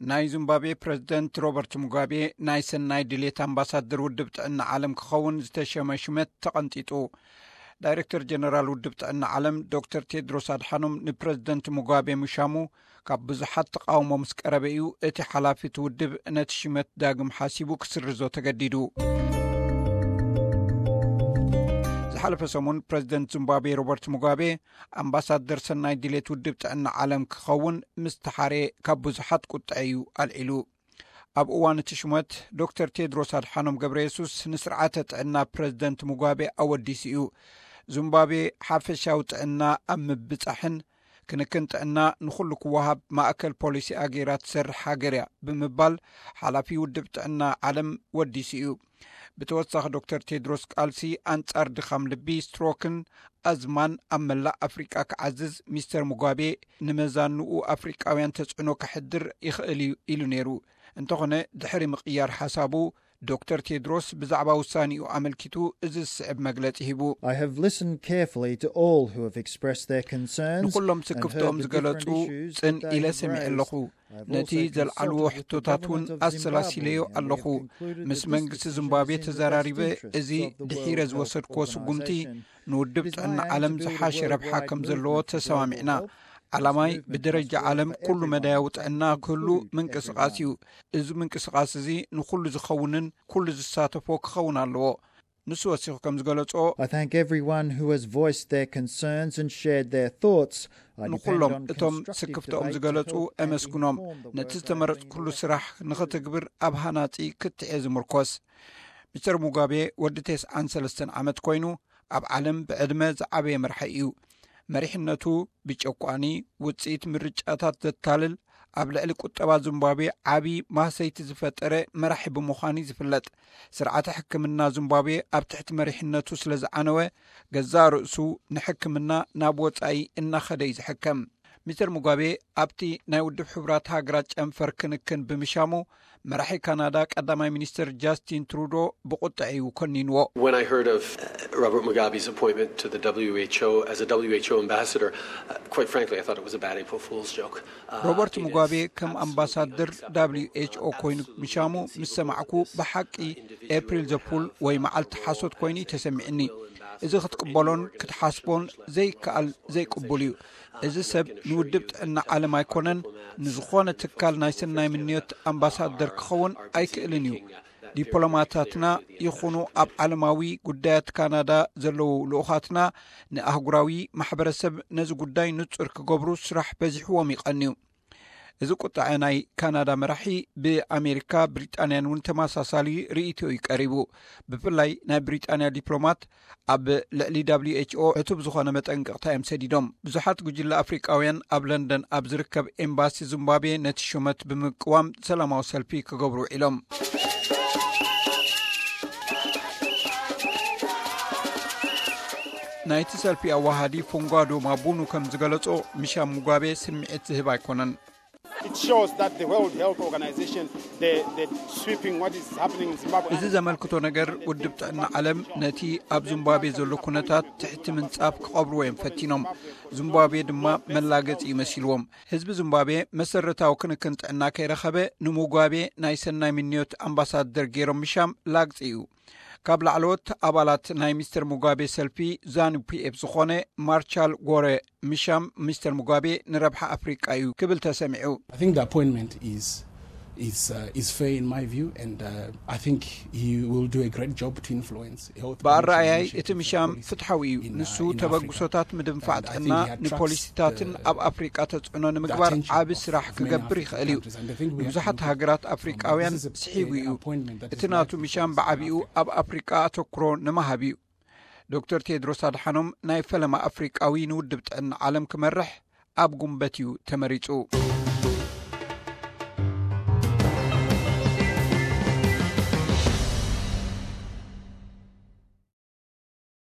ናይ ዚምባብዌ ፕረዚደንት ሮበርት ሙጋቤ ናይ ሰናይ ድሌት ኣምባሳደር ውድብ ጥዕና ዓለም ክኸውን ዝተሸመ ሽመት ተቐንጢጡ። ዳይሬክተር ጀነራል ውድብ ጥዕና ዓለም ዶክተር ቴድሮስ ኣድሓኖም ንፕረዚደንት ሙጋቤ ምሻሙ ካብ ብዙሓት ተቃውሞ ምስ ቀረበ እዩ እቲ ሓላፊ እቲ ውድብ ነቲ ሽመት ዳግም ሓሲቡ ክስርዞ ተገዲዱ። ዝሓለፈ ሰሙን ፕረዚደንት ዚምባብዌ ሮበርት ሙጋቤ ኣምባሳደር ሰናይ ድሌት ውድብ ጥዕና ዓለም ክኸውን ምስ ተሓርየ ካብ ብዙሓት ቁጥዐ እዩ ኣልዒሉ። ኣብ እዋን እቲ ሽመት ዶክተር ቴድሮስ ኣድሓኖም ገብረ የሱስ ንስርዓተ ጥዕና ፕረዚደንት ሙጋቤ ኣወዲሱ እዩ። ዚምባብዌ ሓፈሻዊ ጥዕና ኣብ ምብጻሕን ክንክን ጥዕና ንኹሉ ክወሃብ ማእከል ፖሊሲ ኣገይራ ትሰርሕ ሃገር እያ ብምባል ሓላፊ ውድብ ጥዕና ዓለም ወዲሱ እዩ። ብተወሳኺ ዶክተር ቴድሮስ ቃልሲ ኣንጻር ድኻም ልቢ፣ ስትሮክን ኣዝማን ኣብ መላእ ኣፍሪቃ ክዓዝዝ ሚስተር ሙጋቤ ንመዛንኡ ኣፍሪቃውያን ተጽዕኖ ከሕድር ይኽእል እዩ ኢሉ ነይሩ። እንተኾነ ድሕሪ ምቕያር ሓሳቡ ዶክተር ቴድሮስ ብዛዕባ ውሳኔኡ ኣመልኪቱ እዚ ዝስዕብ መግለጺ ሂቡ። I have listened carefully to all who have expressed their concerns ንኹሎም and ስክፍትኦም heard the ዝገለጹ different issues that ጽን they ኢለ have ሰሚዐ raised. ኣለኹ። I have ነቲ also consulted ዘልዓልዎ with the ሕቶታት እውን government of Zimbabwe ኣሰላሲለዮ and they have ኣለኹ። concluded ምስ that this መንግስቲ decision ዚምባብዌ is in the best ተዘራሪበ interests እዚ of the ድሒረ World Health ዝወሰድክዎ ስጉምቲ Organization. ንውድብ It is my ጥዕና aim ዓለም to build a ዝሓሸ ረብሓ worldwide ከም ዘለዎ movement for ተሰማሚዕና። global health. This ዓላማይ movement ብደረጃ must ዓለም involve ኩሉ everyone, መዳያዊ ጥዕና ክህሉ include ምንቅስቓስ እዩ። everyone. እዚ ምንቅስቓስ እዚ ንኹሉ ዝኸውንን ኩሉ ዝሳተፎ ክኸውን ኣለዎ። ንሱ ወሲኹ ከም ዝገለጾ I thank everyone who has voiced their concerns and shared their thoughts. I depend ንኹሎም on እቶም constructive ስክፍትኦም debate to ዝገለጹ help and እመስግኖም። inform the ነቲ work I am ዝተመረጽኩሉ doing. ስራሕ ንኽትግብር ኣብ ሃናጺ ክትዕ ዝምርኮስ። ሚስተር ሙጋቤ ወዲ ተስዓን ሰለስተን ዓመት ኮይኑ ኣብ ዓለም ብዕድመ ዝዓበየ መራሒ እዩ። መሪሕነቱ ብጨቋኒ ውጽኢት ምርጫታት ዘታልል፣ ኣብ ልዕሊ ቁጠባ ዚምባብዌ ዓቢ ማህሰይቲ ዝፈጠረ መራሒ ብምዃኑ እዩ ዝፍለጥ። ስርዓተ ሕክምና ዚምባብዌ ኣብ ትሕቲ መሪሕነቱ ስለ ዝዓነወ ገዛእ ርእሱ ንሕክምና ናብ ወጻኢ እናኸደ እዩ ዝሕከም። ሚስተር ሙጋቤ ኣብቲ ናይ ውድብ ሕቡራት ሃገራት ጨንፈር ክንክን ብምሻሙ መራሒ ካናዳ ቀዳማይ ሚኒስትር ጃስቲን ትሩዶ ብቁጥዐ እዩ ኮኒንዎ። When I heard of uh, Robert Mugabe's appointment to the W H O as a W H O ambassador, uh, quite frankly, I thought it was a bad April Fool's joke. Uh, ሮበርት it is ሙጋቤ ከም absolutely ኣምባሳደር unacceptable. ደብሊው ኤች ኦ ኮይኑ ምሻሙ ምስ ሰማዕኩ ብሓቂ ኤፕሪል ዘፉል ወይ መዓልቲ ሓሶት ኮይኑ እዩ ተሰሚዕኒ። እዚ ክትቅበሎን ክትሓስቦን ዘይከኣል ዘይቅቡል እዩ። እዚ ሰብ ንውድብ ጥዕና ዓለም ኣይኮነን፣ ንዝኾነ ትካል ናይ ሰናይ ምንዮት ኣምባሳደር ክኸውን ኣይክእልን እዩ። ዲፕሎማታትና ይኹኑ ኣብ ዓለማዊ ጉዳያት ካናዳ ዘለዉ ልኡኻትና ንኣህጉራዊ ማሕበረሰብ ነዚ ጉዳይ ንጹር ክገብሩ ስራሕ በዚሕዎም ይቐንዩ። እዚ ቁጥዐ ናይ ካናዳ መራሒ ብኣሜሪካ ብሪጣንያን እውን ተመሳሳሊ ርእይቶ እዩ ቀሪቡ። ብፍላይ ናይ ብሪጣንያ ዲፕሎማት ኣብ ልዕሊ ደብሊው ኤች ኦ ዕቱብ ዝኾነ መጠንቀቕታ እዮም ሰዲዶም። ብዙሓት ጉጅለ ኣፍሪቃውያን ኣብ ለንደን ኣብ ዝርከብ ኤምባሲ ዚምባብዌ ነቲ ሹመት ብምቅዋም ሰላማዊ ሰልፊ ክገብሩ ውዒሎም። ናይቲ ሰልፊ ኣዋሃዲ ፉንጓዶ ማቡኑ ከም ዝገለጾ፣ ምሻም ሙጋቤ ስምዒት ዝህብ ኣይኮነን። It shows that the World Health Organization, they, they're sweeping what is happening in Zimbabwe. እዚ ዘመልክቶ ነገር ውድብ ጥዕና ዓለም ነቲ ኣብ ዚምባብዌ ዘሎ ኩነታት ትሕቲ ምንጻፍ ክቐብርዎ እዮም ፈቲኖም። ዚምባብዌ ድማ መላገጺ እዩ መሲልዎም። ህዝቢ ዚምባብዌ መሰረታዊ ክንክን ጥዕና ከይረኸበ ንሙጋቤ ናይ ሰናይ ምንዮት ኣምባሳደር ገይሮም ምሻም ላግጺ እዩ። ካብ ላዕለዎት ኣባላት ናይ ሚስተር ሙጋቤ ሰልፊ ዛኑ ፒ ኤፍ ዝኾነ ማርቻል ጎረ ምሻም ሚስተር ሙጋቤ ንረብሓ ኣፍሪቃ እዩ ክብል ተሰሚዑ። I think the appointment is is uh, is fair in my view, and uh, I think he will do a great job to influence health. ብኣረኣያይ እቲ ምሻም ፍትሓዊ እዩ። ንሱ ተበግሶታት ምድንፋዕ ጥዕና ንፖሊሲታትን ኣብ ኣፍሪቃ ተጽዕኖ ንምግባር ዓቢ ስራሕ ክገብር ይኽእል እዩ። ንብዙሓት ሃገራት ኣፍሪቃውያን ስሒቡ እዩ። እቲ ናቱ ምሻም ብዓቢኡ ኣብ ኣፍሪቃ ኣተኩሮ ንምሃብ እዩ። ዶክተር ቴድሮስ ኣድሓኖም ናይ ፈለማ ኣፍሪቃዊ ንውድብ ጥዕና ዓለም ክመርሕ ኣብ ጉንበት እዩ ተመሪጹ።